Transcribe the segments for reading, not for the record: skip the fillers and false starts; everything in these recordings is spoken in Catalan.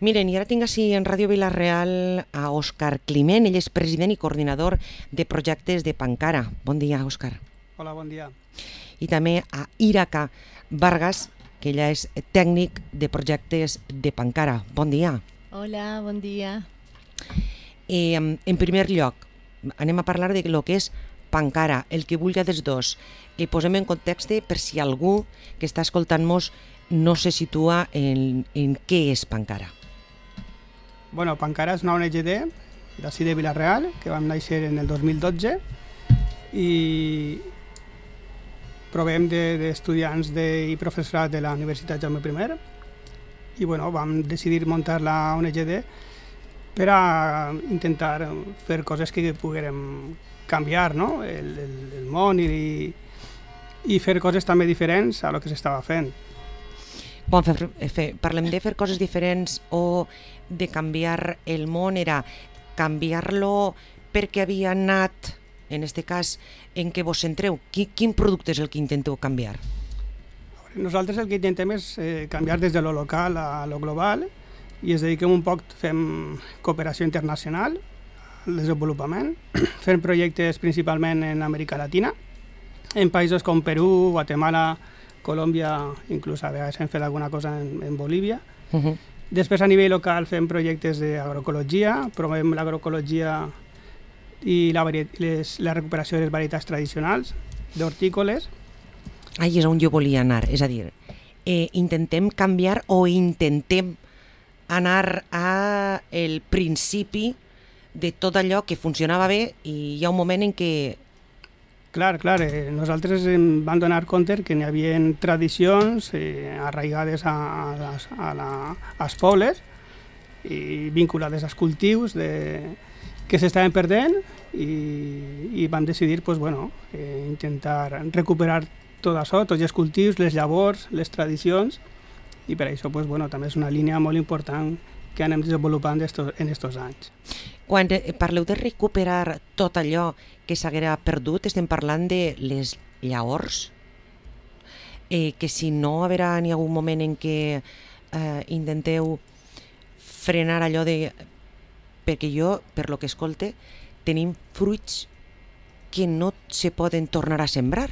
Miren, i ara tinc així en Ràdio Vila-real a Òscar Climent, ell és president i coordinador de projectes de Pancara. Bon dia, Òscar. Hola, bon dia. I també a Iraca Vargas, que ella és tècnic de projectes de Pancara. Bon dia. Hola, bon dia. En primer lloc, anem a parlar de lo que és Pancara, el que vulgui dels dos. Posem en context per si algú que està escoltant-nos no se situa en què és Pancara. Bueno, Pancara és una ONG d'ací de Vila-real, que vam néixer en el 2012 i provem d'estudiants i professorat de la Universitat Jaume I i bueno, vam decidir muntar la ONG per a intentar fer coses que poguérem canviar, no? el món i fer coses també diferents a lo que s'estava fent. Quan parlem de fer coses diferents o de canviar el món, era canviar-lo perquè havia anat, en aquest cas, en què vos centreu? Quin producte és el que intenteu canviar? Nosaltres el que intentem és canviar des de lo local a lo global i es dediquem un poc, fem cooperació internacional, al desenvolupament, fem projectes principalment en Amèrica Latina, en països com Perú, Guatemala, Colòmbia, inclús a vegades hem fet alguna cosa en Bolívia. Després a nivell local fem projectes d'agroecologia, promovem l'agroecologia i la recuperació de les varietats tradicionals, d'hortícoles. Ahí és on jo volia anar, és a dir, intentem canviar o intentem anar al principi de tot allò que funcionava bé i hi ha un moment en què... Clar, nosaltres em vam donar compte que hi havia tradicions arraigades als pobles i vinculades als cultius que s'estaven perdent i vam decidir intentar recuperar tot això, tots els cultius, les llavors, les tradicions i per això també és una línia molt important que anem desenvolupant en aquests anys. Quan parleu de recuperar tot allò que s'haguera perdut, estem parlant de les llavors, que si no haurà ni algun moment en què intenteu frenar allò de... Perquè jo, per lo que escolte, tenim fruits que no se poden tornar a sembrar,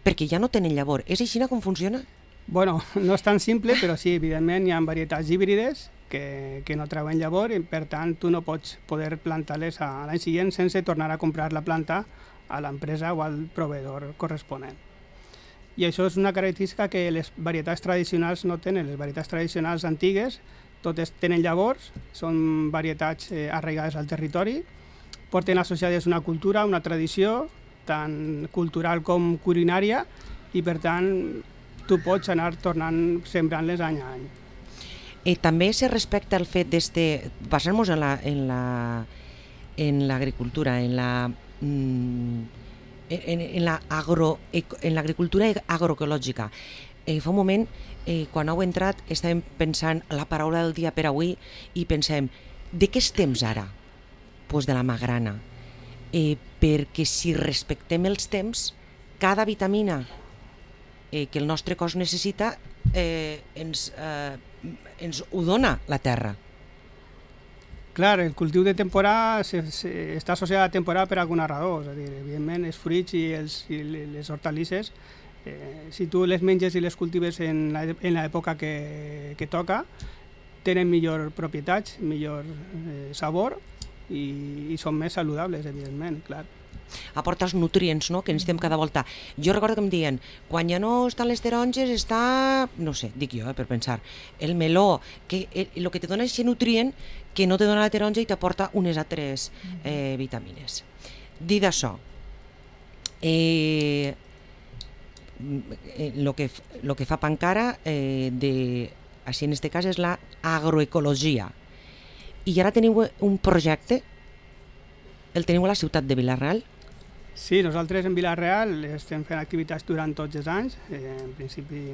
perquè ja no tenen llavor. És així com funciona? Bueno, no és tan simple, però sí, evidentment hi ha varietats híbrides que no treuen llavor i per tant tu no pots poder plantar-les a l'any següent sense tornar a comprar la planta a l'empresa o al proveïdor corresponent. I això és una característica que les varietats tradicionals no tenen. Les varietats tradicionals antigues totes tenen llavors, són varietats arraigades al territori, porten associades una cultura, una tradició, tant cultural com culinària, i per tant tu pots anar tornant sembrant-les any a any. També se respecta el fet basar-nos en l'agricultura, en l'agricultura agroecològica. Fa un moment, quan heu entrat, estàvem pensant la paraula del dia per avui i pensem, de què estem ara? Doncs de la magrana. Perquè si respectem els temps, cada vitamina que el nostre cos necessita ens ho dona la terra. Clar, el cultiu de temporada està associat a la temporada per alguna raó, és a dir, evidentment els fruits i les hortalisses, si tu les menges i les cultives en l'època que toca, tenen millor propietats, millor sabor i són més saludables, evidentment, clar. Aporta els nutrients, no?, que necessitem cada volta. Jo recordo que em diuen, quan ja no estan les taronges està, no sé, dic jo, per pensar, el meló, que el que te dona és aquest nutrient que no te dona la taronja i t'aporta unes altres vitamines. Dit això, el que fa Pancara, així en aquest cas, és l'agroecologia. I ara teniu un projecte, el teniu a la ciutat de Vila-real? Sí, nosaltres en Vila-real estem fent activitats durant tots els anys. En principi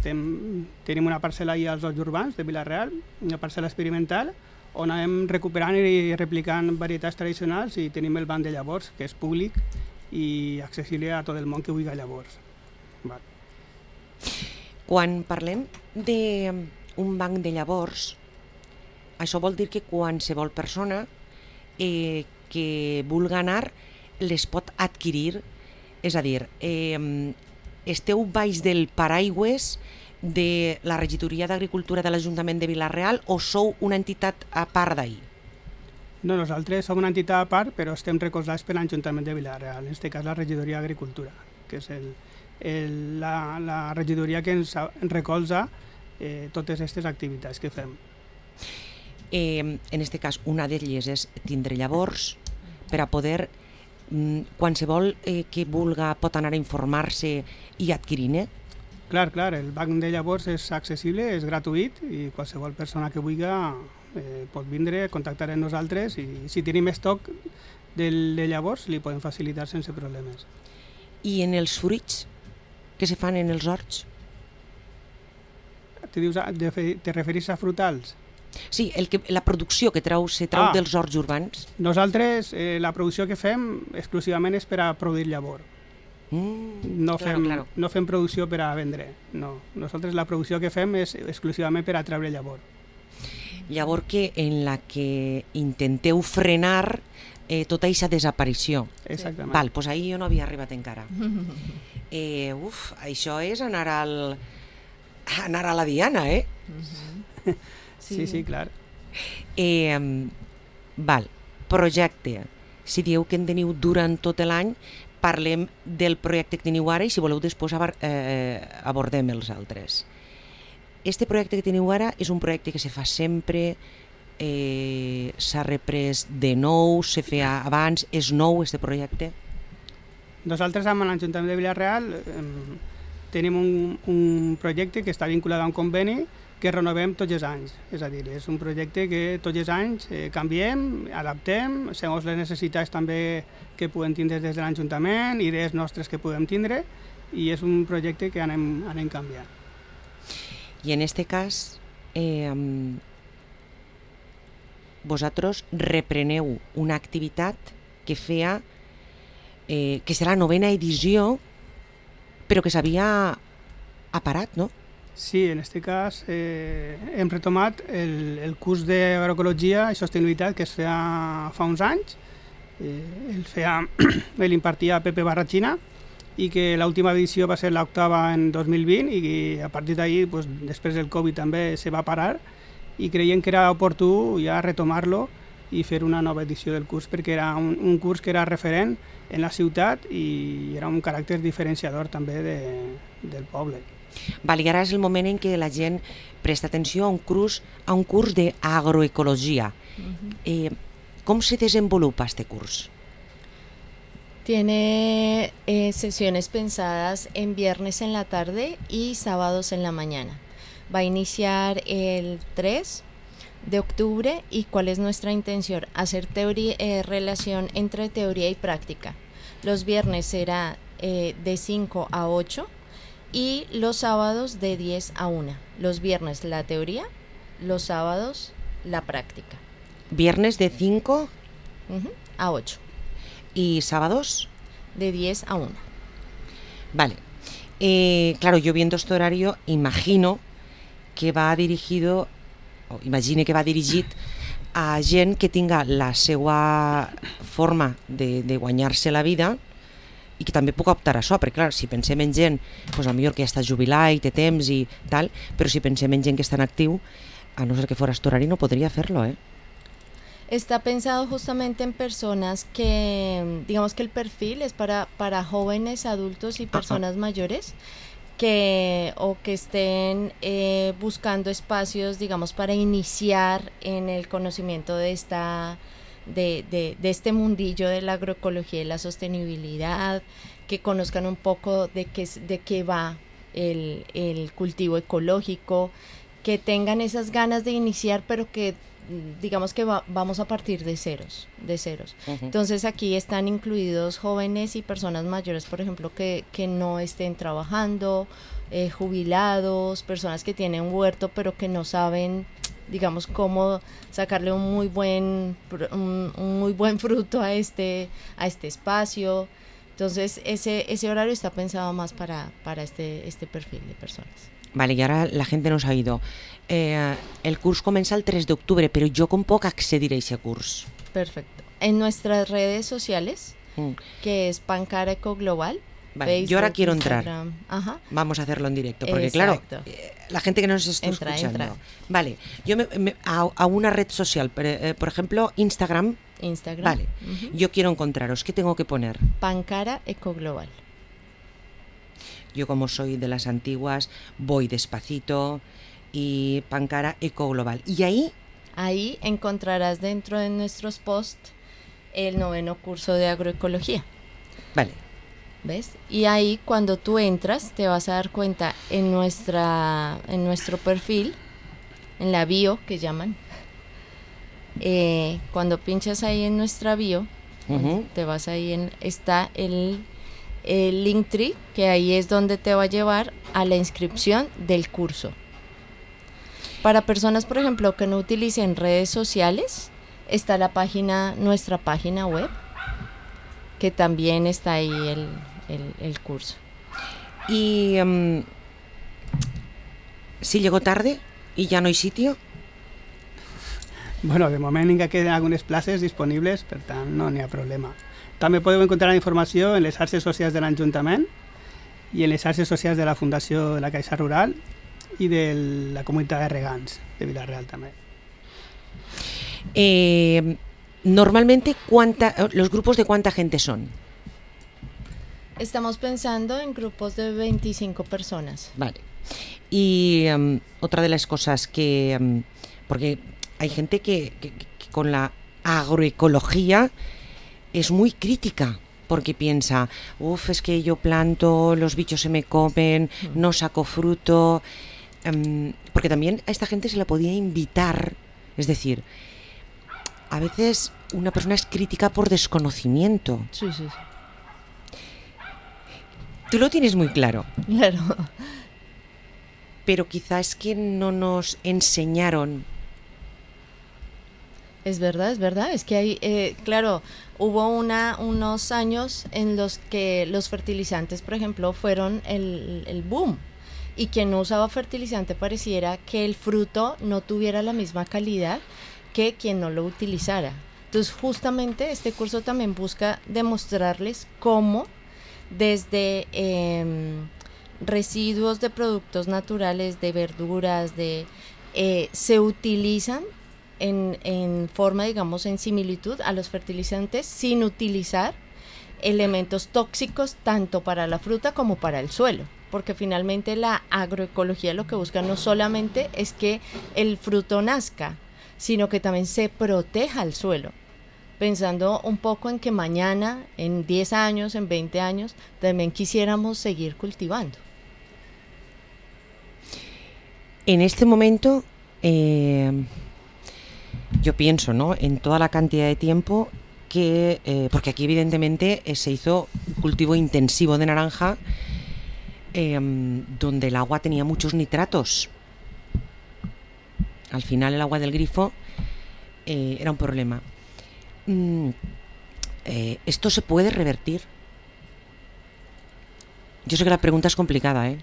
tenim una parcel·la allà als Horts Urbans de Vila-real, una parcel·la experimental, on anem recuperant i replicant varietats tradicionals i tenim el banc de llavors, que és públic i accessible a tot el món que vulgui llavors. Quan parlem d'un banc de llavors, això vol dir que qualsevol persona que vulgui anar les pot adquirir, és a dir, esteu baix del paraigües de la Regidoria d'Agricultura de l'Ajuntament de Vila-real o sou una entitat a part d'ahir? No, nosaltres som una entitat a part, però estem recolzats per l'Ajuntament de Vila-real, en aquest cas la Regidoria d'Agricultura, que és la regidoria que ens recolza totes aquestes activitats que fem. En aquest cas, una d'elles és tindre llavors per a poder, qualsevol que vulga pot anar a informar-se i adquirir-ne. Clar, el banc de llavors és accessible, és gratuït i qualsevol persona que vulgui pot vindre, contactar amb nosaltres i si tenim estoc de llavors li podem facilitar sense problemes. I en els fruits que se fan en els horts? Te referís a frutals? Sí, la producció que se trau dels horts urbans. Nosaltres la producció que fem exclusivament és per a produir llavor. No fem producció per a vendre, no. Nosaltres la producció que fem és exclusivament per a treure llavor. Llavor en la que intenteu frenar tota aquesta desaparició. Exactament. Val, doncs ahir jo no havia arribat encara. Això és anar a la diana, Sí, clar. Val, projecte. Si dieu que en teniu durant tot l'any, parlem del projecte que teniu ara i si voleu després abordem els altres. Este projecte que teniu ara és un projecte que se fa sempre, s'ha reprès de nou, se feia abans, és nou este projecte? Nosaltres amb l'Ajuntament de Vila-real tenim un projecte que està vinculat a un conveni que renovem tots els anys. És a dir, és un projecte que tots els anys canviem, adaptem, segons les necessitats també que podem tindre des de l'Ajuntament, idees nostres que podem tindre, i és un projecte que anem canviant. I en aquest cas, vosaltres repreneu una activitat que feia, que serà la 9ª edició, però que s'havia aparat, no? Sí, en aquest cas hem retomat el curs d'agroecologia i sostenibilitat que es feia fa uns anys. L'impartia Pepe Barrachina i que l'última edició va ser l'8ª en 2020 i a partir d'ahir, després del Covid també se va parar i creiem que era oportú ja retomar-lo i fer una nova edició del curs perquè era un curs que era referent en la ciutat i era un caràcter diferenciador també del poble. Val, i ara és el moment en què la gent presta atenció a un curs d'agroecologia. ¿Cómo se desenvolupa este curso? Tiene sesiones pensadas en viernes en la tarde y sábados en la mañana. Va a iniciar el 3 de octubre y ¿cuál es nuestra intención? Hacer relación entre teoría y práctica. Los viernes será de 5 a 8 y los sábados de 10 a 1. Los viernes la teoría, los sábados la práctica. Viernes de 5 a 8. ¿Y sábados? De 10 a 1. Vale. Claro, yo viendo este horario imagino que va dirigido, o imagine que va dirigit a gent que tinga la seva forma de guanyar-se la vida i que també puc optar a això, perquè clar, si pensem en gent potser que ja està jubilat i té temps i tal, però si pensem en gent que està en actiu, a no ser que fora este horari no podria fer-lo, Está pensado justamente en personas que, digamos que el perfil es para jóvenes, adultos y personas mayores que estén buscando espacios, digamos, para iniciar en el conocimiento de este mundillo de la agroecología y la sostenibilidad, que conozcan un poco de qué va el cultivo ecológico, que tengan esas ganas de iniciar, pero que digamos que vamos a partir de ceros. Entonces aquí están incluidos jóvenes y personas mayores, por ejemplo, que no estén trabajando, jubilados, personas que tienen huerto pero que no saben, digamos, cómo sacarle un muy buen fruto a este espacio. Entonces ese horario está pensado más para este perfil de personas. Vale, y ahora la gente nos ha ido. El curso comienza el 3 de octubre, pero yo con poco accedir a ese curso. Perfecto. En nuestras redes sociales, que es Pancara Eco Global. Vale, Facebook, yo ahora quiero Instagram. entrar. Ajá. Vamos a hacerlo en directo, porque Exacto. claro, la gente que nos está escuchando. Entra. Vale, yo a una red social, por ejemplo, Instagram. Vale, yo quiero encontraros. ¿Qué tengo que poner? Pancara Eco Global. Yo, como soy de las antiguas, voy despacito y Pancara Eco Global. Y ahí encontrarás dentro de nuestros posts el 9º curso de agroecología. Vale. ¿Ves? Y ahí, cuando tú entras, te vas a dar cuenta en nuestro perfil, en la bio que llaman, cuando pinchas ahí en nuestra bio, te vas ahí está el Linktree, que ahí es donde te va a llevar a la inscripción del curso. Para personas, por ejemplo, que no utilicen redes sociales, está nuestra página web, que también está ahí el curso. Y si llego tarde y ya no hay sitio. Bueno, de moment encara queden algunes places disponibles, per tant no n'hi ha problema. També podeu encontrar la informació en les xarxes socials de l'Ajuntament i en les xarxes socials de la Fundació de la Caixa Rural i de la comunitat de regants de Vila-real també. Normalmente, ¿los grupos de cuánta gente son? Estamos pensando en grupos de 25 personas. Vale. Y otra de las cosas que... porque hay gente que con la agroecología es muy crítica, porque piensa, es que yo planto, los bichos se me comen, no saco fruto... porque también a esta gente se la podía invitar, es decir, a veces una persona es crítica por desconocimiento. Sí. Tú lo tienes muy claro. Claro. Pero quizás es que no nos enseñaron. Es verdad. Es que hay, claro, hubo unos años en los que los fertilizantes, por ejemplo, fueron el boom. Y quien no usaba fertilizante pareciera que el fruto no tuviera la misma calidad que quien no lo utilizara. Entonces, justamente este curso también busca demostrarles cómo desde residuos de productos naturales, de verduras, se utilizan en forma, digamos, en similitud a los fertilizantes, sin utilizar elementos tóxicos tanto para la fruta como para el suelo. Porque finalmente la agroecología lo que busca no solamente es que el fruto nazca, sino que también se proteja el suelo, pensando un poco en que mañana, en 10 años, en 20 años, también quisiéramos seguir cultivando. En este momento, yo pienso, ¿no?, en toda la cantidad de tiempo que... porque aquí evidentemente se hizo un cultivo intensivo de naranja, donde el agua tenía muchos nitratos. Al final el agua del grifo era un problema. ¿Esto se puede revertir? Yo sé que la pregunta es complicada, ¿eh?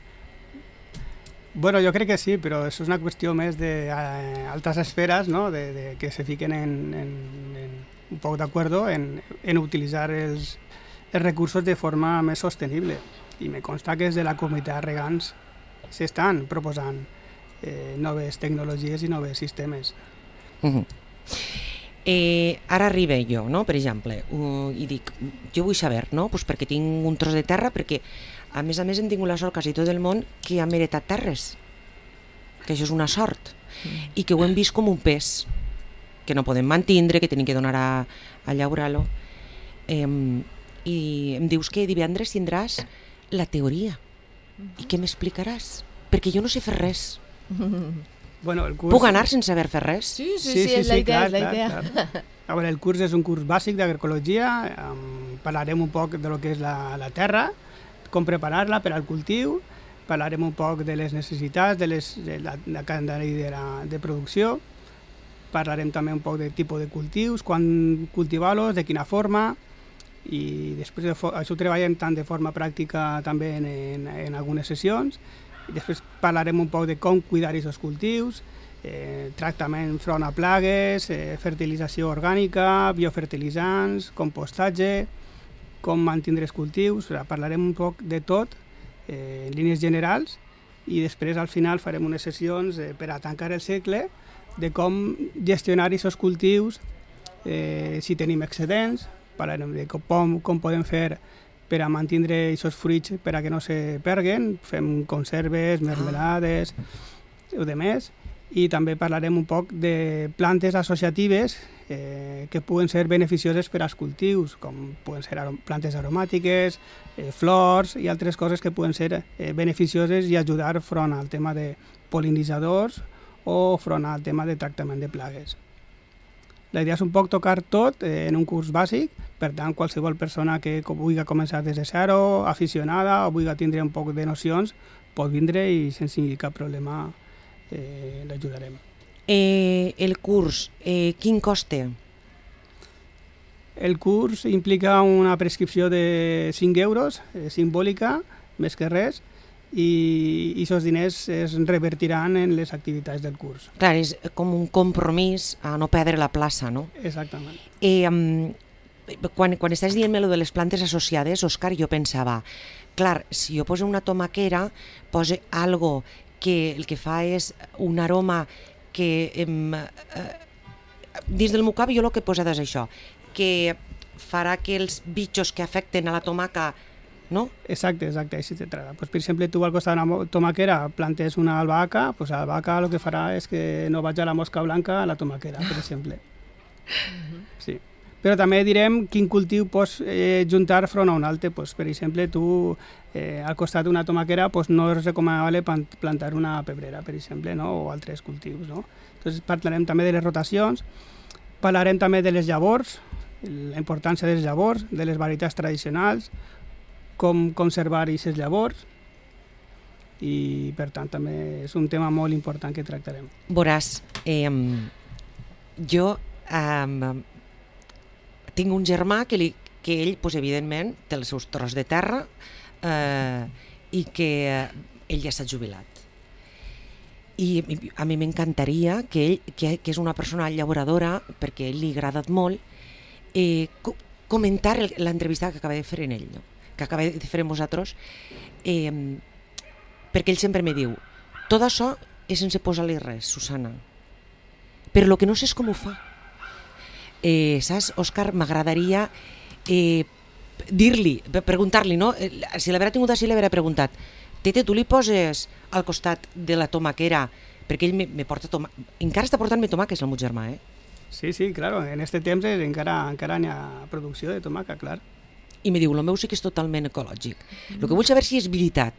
Bueno, jo crec que sí, però això és una qüestió més d'altres esferes, no? de que se fiquen un poc d'acuerdo en utilitzar els recursos de forma més sostenible. I me consta que des de la comunitat de regants s'estan proposant noves tecnologies i noves sistemes. Ara arriba jo, no? Per exemple, i dic, jo vull saber, no? Pues perquè tinc un tros de terra, perquè a més hem tingut la sort quasi tot el món que hem heretat terres, que això és una sort, i que ho hem vist com un pes, que no podem mantindre, que tenim que donar a llaurar-lo. I em dius que divendres tindràs la teoria. I què m'explicaràs? Perquè jo no sé fer res. Bueno, el curs... Puc anar sense haver fet res? Sí, és la idea, és la idea. Clar. A veure, el curs és un curs bàsic d'agroecologia, parlarem un poc de lo que és la terra, com preparar-la per al cultiu, parlarem un poc de les necessitats, de la calendari de producció, parlarem també un poc de tipus de cultius, quan cultivar-los, de quina forma, i després això ho treballem tant de forma pràctica també en algunes sessions, Després parlarem un poc de com cuidar aquests cultius, tractament front a plagues, fertilització orgànica, biofertilitzants, compostatge, com mantindre els cultius. Parlarem un poc de tot, en línies generals, i després al final farem unes sessions per a tancar el cicle de com gestionar aquests cultius, si tenim excedents, parlarem de com podem fer per a mantindre aquests fruits per a que no se perguen, fem conserves, mermelades o de més, i també parlarem un poc de plantes associatives que poden ser beneficioses per als cultius, com poden ser plantes aromàtiques, flors i altres coses que poden ser beneficioses i ajudar front al tema de pol·linitzadors o front al tema de tractament de plagues. La idea és un poc tocar tot en un curs bàsic, per tant, qualsevol persona que vulgui començar des de zero, aficionada o vulgui tindre un poc de nocions, pot vindre i sense cap problema l'ajudarem. El curs, quin cost té? El curs implica una prescripció de 5 euros, simbòlica, més que res, i aquests diners es revertiran en les activitats del curs. Clar, és com un compromís a no perdre la plaça, no? Exactament. Quan estàs dient lo de les plantes associades, Òscar, jo pensava, clar, si jo poso una tomaquera, poso algo que el que fa és un aroma que dins del meu cap jo el que he posat és això, que farà que els bitxos que afecten a la tomaca, no? Exacte, així se trata. Pues, per exemple, tu al costat d'una tomaquera plantes una albahaca, pues l'albahaca el que farà és que no vagi a la mosca blanca a la tomaquera, per exemple. Sí. Però també direm quin cultiu pots juntar front a un altre. Pues, per exemple, tu al costat d'una tomaquera pues, no és recomanable plantar una pebrera, per exemple, no? O altres cultius. No? Entonces, parlarem també de les rotacions, parlarem també de les llavors, la importància de les llavors, de les varietats tradicionals, com conservar aquestes llavors, i per tant també és un tema molt important que tractarem. Veuràs, jo tinc un germà que ell, pues, evidentment, té els seus tros de terra i que ell ja s'ha jubilat. I a mi m'encantaria que ell, que és una persona llaboradora, perquè a ell li ha agradat molt, comentar l'entrevista que acaba de fer en ell, no? Que acaba de fer amb vosaltres, perquè ell sempre me diu, tot això és sense posar-li res, Susana, però el que no sé és com ho fa. Saps, Òscar, m'agradaria dir-li, preguntar-li, no? Si l'haurà tingut així, l'haurà preguntat, Tete, tu li poses al costat de la tomaquera, perquè ell me porta encara està portant-me tomaques, el meu germà, Sí, claro, en este temps encara n'hi ha producció de tomaca, clar. I me diu, el meu sí que és totalment ecològic. El que vull saber si és veritat,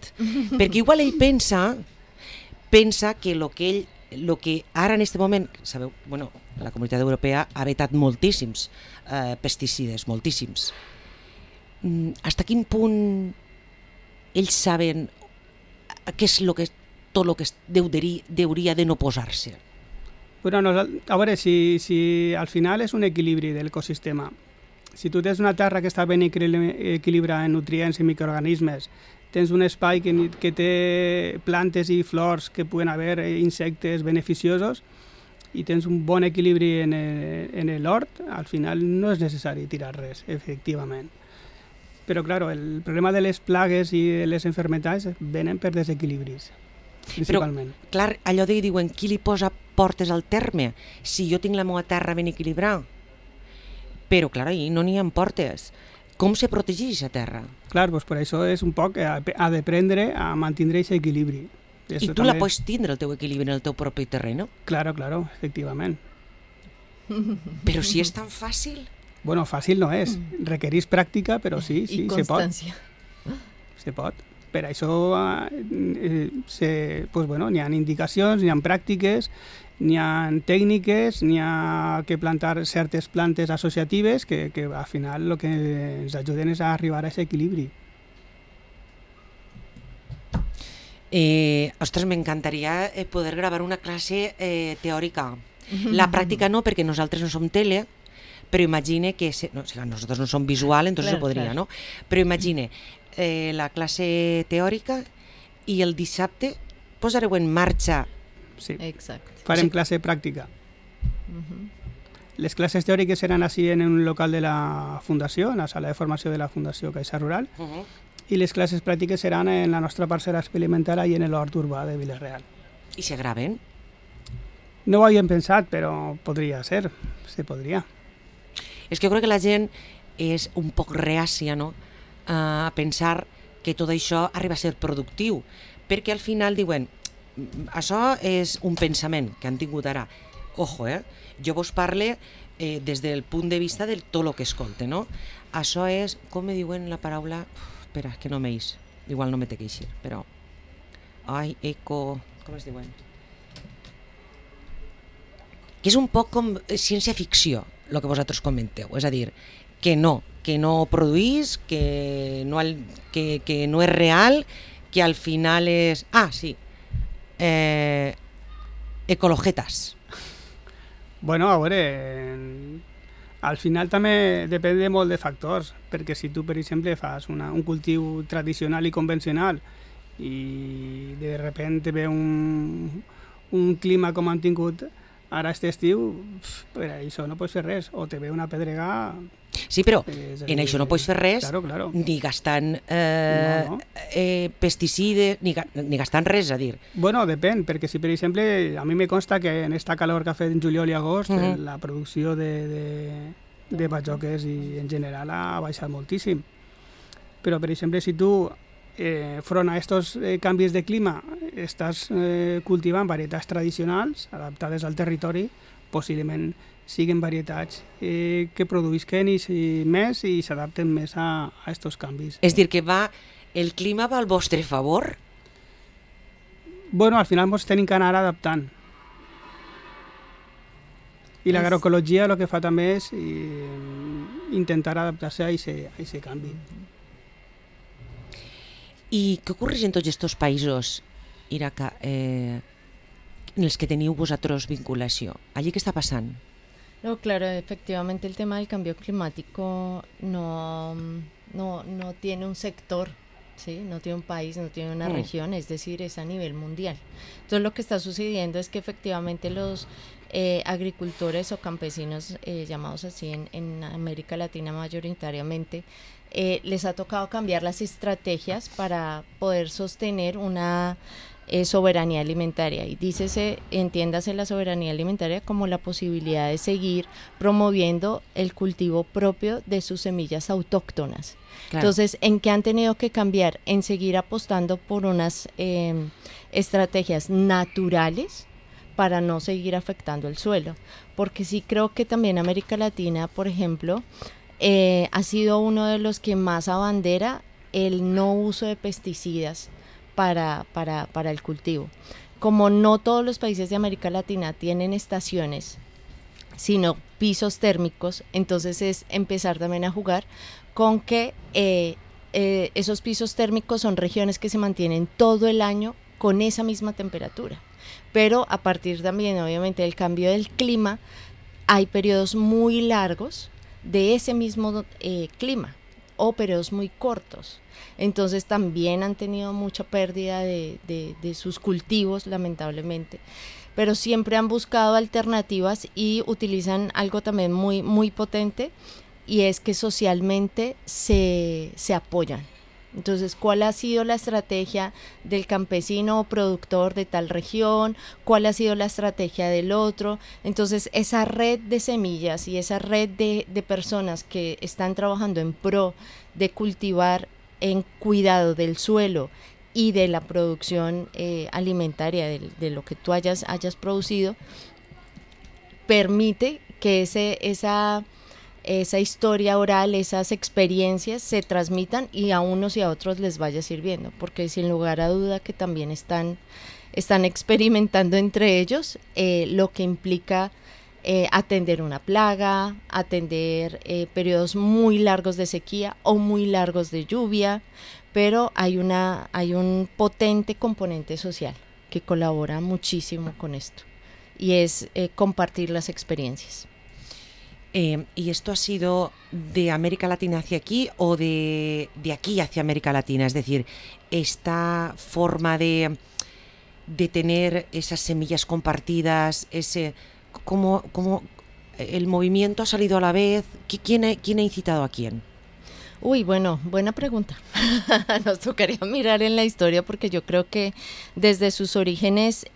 perquè igual ell pensa que el que ara en aquest moment, sabeu, bueno, la Comunitat Europea ha vetat moltíssims pesticides, moltíssims. Fins a quin punt ells saben què és tot el que hauria de no posar-se? Bueno, a veure, si al final és un equilibri de l'ecosistema. Si tu tens una terra que està ben equilibrada en nutrients i microorganismes, tens un espai que té plantes i flors que poden haver insectes beneficiosos i tens un bon equilibri en l'hort, al final no és necessari tirar res, efectivament. Però, clar, el problema de les plagues i de les malalties venen per desequilibris, principalment. Però, clar, allò de diuen, qui li posa portes al terme? Si jo tinc la meva terra ben equilibrada. Però, clar, ahir no n'hi ha portes. Com se protegeix aquesta terra? Clar, doncs per això és un poc ha d'aprendre a mantenir aquest equilibri. I tu la pots tindre, el teu equilibri, en el teu propi terreno? Claro, efectivament. Però si és tan fàcil? Bueno, fàcil no és. Requereix pràctica, però sí, I constància. Se pot. Per això pues, bueno, n'hi ha indicacions, n'hi ha pràctiques, n'hi ha tècniques, n'hi ha que plantar certes plantes associatives que al final el que ens ajuden és a arribar a aquest equilibri. Ostres, m'encantaria poder gravar una classe teòrica. La pràctica no, perquè nosaltres no som tele, però imagine que... nosaltres no som visual, entonces se podria, ¿no? Però imagine la classe teòrica i el dissabte posareu en marxa. Sí. Exacte. Farem classe pràctica. Les classes teòriques seran així en un local de la Fundació, en la sala de formació de la Fundació Caixa Rural, i les classes pràctiques seran en la nostra parcel·la experimental i en l'hort urbà de Vila-real. I se graven? No ho havíem pensat, però podria ser, se podria. És que jo crec que la gent és un poc reàcia, no?, a pensar que tot això arriba a ser productiu, perquè al final diuen, això és un pensament que han tingut ara. Ojo, jo vos parle des del punt de vista de tot el que escolte, no? Això és, com me diuen la paraula... espera, que no m'eix, igual no me té que eixir, però... Ai, eco... com es diuen? Que és un poc com ciència-ficció, el que vosaltres comenteu, és a dir, que no produís, que no és real, que al final és... Ah, sí, ecologetas. Bueno, a veure, al final també depèn de molt de factors, perquè si tu, per exemple, fas un cultiu tradicional i convencional i de sobte ve un clima com han tingut ara aquest estiu, per això no pots fer res, o te ve una pedregada... Sí, però en això no pots fer res, claro. ni gastant pesticides, ni gastant res, a dir. Bueno, depèn, perquè si per exemple, a mi me consta que en esta calor que ha fet en juliol i agost, la producció de bajoques i en general ha baixat moltíssim. Però per exemple, si tu front a estos canvis de clima estàs cultivant varietats tradicionals adaptades al territori, possiblement siguen varietats que produïsquen més i s'adapten més a estos canvis. És dir, que el clima va al vostre favor? Bueno, al final ens tenim que anar adaptant. I l'agroecologia el que fa també és intentar adaptar-se a aquest canvi. I què ocorre en tots aquests països, Iraka, en els que teniu vosaltres vinculació? Allí què està passant? No, claro, efectivamente el tema del cambio climático no tiene un sector, ¿sí? No tiene un país, no tiene una región, es decir, es a nivel mundial. Entonces lo que está sucediendo es que efectivamente los agricultores o campesinos, llamados así en América Latina mayoritariamente, les ha tocado cambiar las estrategias para poder sostener una soberanía alimentaria, y entiéndase la soberanía alimentaria como la posibilidad de seguir promoviendo el cultivo propio de sus semillas autóctonas. Claro. Entonces, ¿en qué han tenido que cambiar? En seguir apostando por unas estrategias naturales para no seguir afectando el suelo, porque sí creo que también América Latina, por ejemplo, ha sido uno de los que más abandera el no uso de pesticidas para el cultivo. Como no todos los países de América Latina tienen estaciones, sino pisos térmicos, entonces es empezar también a jugar con que esos pisos térmicos son regiones que se mantienen todo el año con esa misma temperatura. Pero a partir también, obviamente, del cambio del clima, hay periodos muy largos de ese mismo clima o periodos muy cortos. Entonces también han tenido mucha pérdida de sus cultivos, lamentablemente, pero siempre han buscado alternativas y utilizan algo también muy, muy potente, y es que socialmente se apoyan. Entonces, ¿cuál ha sido la estrategia del campesino o productor de tal región? ¿Cuál ha sido la estrategia del otro? Entonces, esa red de semillas y esa red de personas que están trabajando en pro de cultivar en cuidado del suelo y de la producción alimentaria de lo que tú hayas producido, permite que esa historia oral, esas experiencias se transmitan y a unos y a otros les vaya sirviendo, porque sin lugar a duda que también están experimentando entre ellos lo que implica atender una plaga, atender periodos muy largos de sequía o muy largos de lluvia, pero hay un potente componente social que colabora muchísimo con esto, y es compartir las experiencias. ¿Y esto ha sido de América Latina hacia aquí o de aquí hacia América Latina? Es decir, esta forma de tener esas semillas compartidas, ¿cómo el movimiento ha salido a la vez? ¿Quién ha incitado a quién? Uy, bueno, buena pregunta. Nos tocaría mirar en la historia porque yo creo que desde sus orígenes,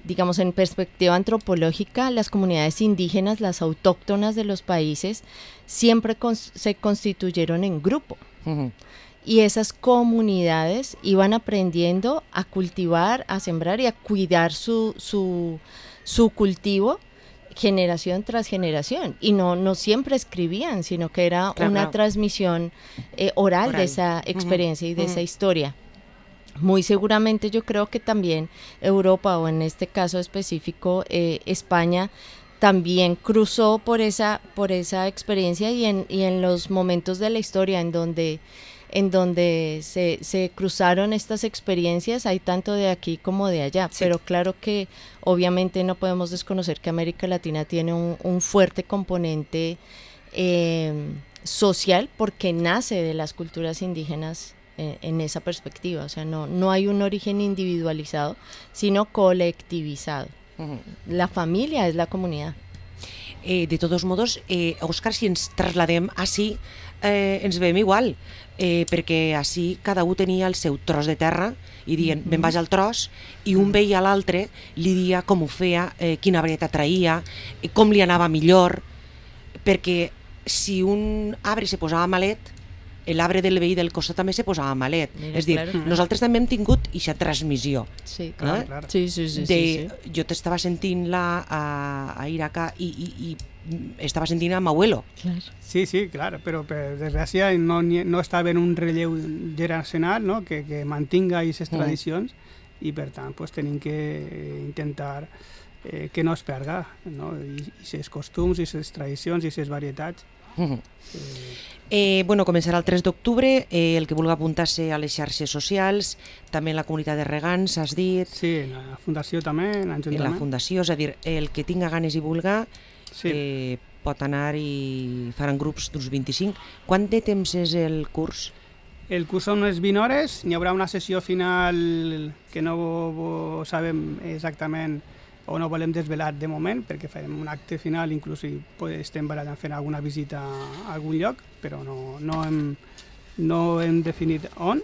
digamos en perspectiva antropológica, las comunidades indígenas, las autóctonas de los países, siempre se constituyeron en grupo. Uh-huh. Y esas comunidades iban aprendiendo a cultivar, a sembrar y a cuidar su cultivo generación tras generación, y no siempre escribían, sino que era una transmisión oral de esa experiencia y de esa historia. Muy seguramente yo creo que también Europa, o en este caso específico España, también cruzó por esa experiencia, y en los momentos de la historia en donde se cruzaron estas experiencias, hay tanto de aquí como de allá, sí. Pero claro que obviamente no podemos desconocer que América Latina tiene un fuerte componente social, porque nace de las culturas indígenas en esa perspectiva. O sea, no hay un origen individualizado, sino colectivizado. Uh-huh. La familia es la comunidad. De todos modos, Òscar, si ens trasladem així, ens veiem igual, perquè així cada un tenia el seu tros de terra i dient, me'n vaig al tros, i un veia a l'altre, li dia com ho feia, quina varietat traïa, com li anava millor, perquè si un arbre se posava malet, l'arbre del veí del costat també se posava malet. Mira, és dir, claro. Nosaltres també hem tingut aquesta transmissió. Sí, clar. Sí. Jo t'estava sentint-la a Iraca i estava sentint a Mauelo. Clar. Sí, clar, però per desgràcia no estava en un relleu generacional, no? que mantinga aquestes tradicions, i per tant pues, tenim que intentar que no es perga, no? I aquests costums, i aquestes tradicions, i aquestes varietats. Començarà el 3 d'octubre, el que vulgui apuntar-se a les xarxes socials, també en la comunitat de regants, has dit. Sí, en la fundació també, en l'Ajuntament. En la fundació, és a dir, el que tinga ganes i vulga pot anar i faran grups d'uns 25. Quant de temps és el curs? El curs són unes 20 hores, n'hi haurà una sessió final que no sabem exactament o no volem desvelar de moment, perquè farem un acte final, inclús estem barallant fent alguna visita a algun lloc, però no hem definit on.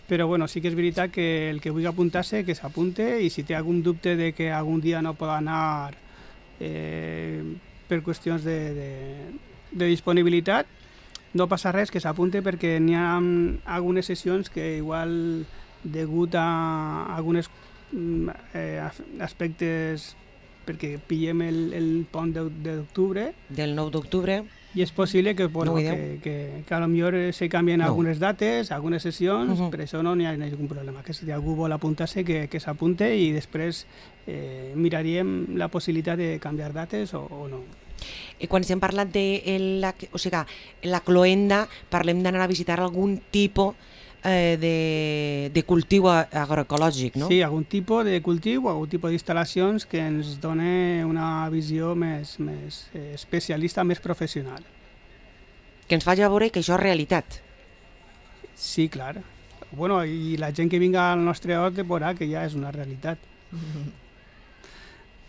Però bueno, sí que és veritat que el que vulgui apuntar-se, que s'apunte, i si té algun dubte de que algun dia no pot anar per qüestions de disponibilitat, no passa res, que s'apunte, perquè n'hi ha algunes sessions que igual degut a algunes aspectes, perquè pillem el pont d'octubre. Del 9 d'octubre. I és possible que a lo millor se canvien algunes dates, algunes sessions, per això no hi ha cap problema. Que si algú vol apuntar-se, que s'apunte, i després miraríem la possibilitat de canviar dates o no. Quan estem parlant de la cloenda, parlem d'anar a visitar algun tipus de cultiu agroecològic, no? Sí, algun tipus de cultiu, algun tipus d'instal·lacions que ens dona una visió més especialista, més professional. Que ens faci veure que això és realitat. Sí, clar. Bueno, i la gent que vinga al nostre hort veurà que ja és una realitat.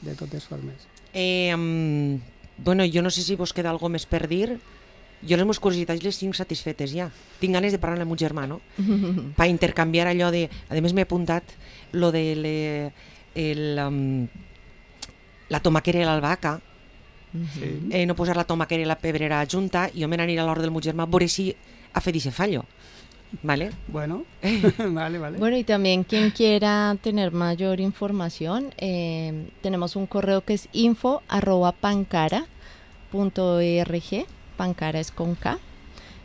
De totes formes. Jo no sé si vos queda alguna més per dir. Jo les meves curiositats les tinc satisfetes ja. Tinc ganes de parlar amb el meu germà, no? Per intercanviar allò de... A més m'he apuntat lo de la tomaquera i l'albahaca. No posar la tomaquera i la pebrera junta, i jo me n'aniré a l'hort del meu germà a veure si ha fet ese fallo. ¿Vale? Bueno, vale. Bueno, y también quien quiera tener mayor información, tenemos un correo que es info@pancara.org. Pancara es con K,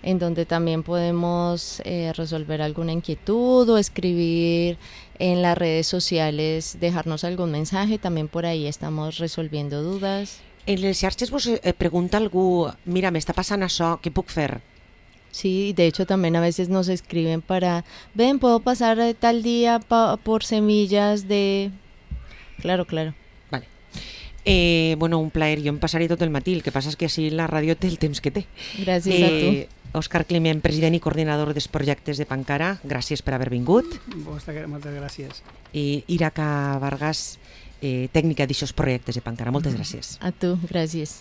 en donde también podemos resolver alguna inquietud o escribir en las redes sociales, dejarnos algún mensaje, también por ahí estamos resolviendo dudas. En les xarxes vos pregunta algú, mira, m'està passant això, què puc fer? Sí, de hecho también a veces nos escriben ven, puedo pasar tal día por semillas de... Claro. Vale. Bueno, un plaer. Jo em passaré tot el matí. El que passa és que així la ràdio té el temps que té. Gràcies a tu. Òscar Climent, president i coordinador dels projectes de Pancara, gràcies per haver vingut. Moltes gràcies. I Iraca Vargas, tècnica d'aixòs projectes de Pancara. Moltes gràcies. A tu, gràcies.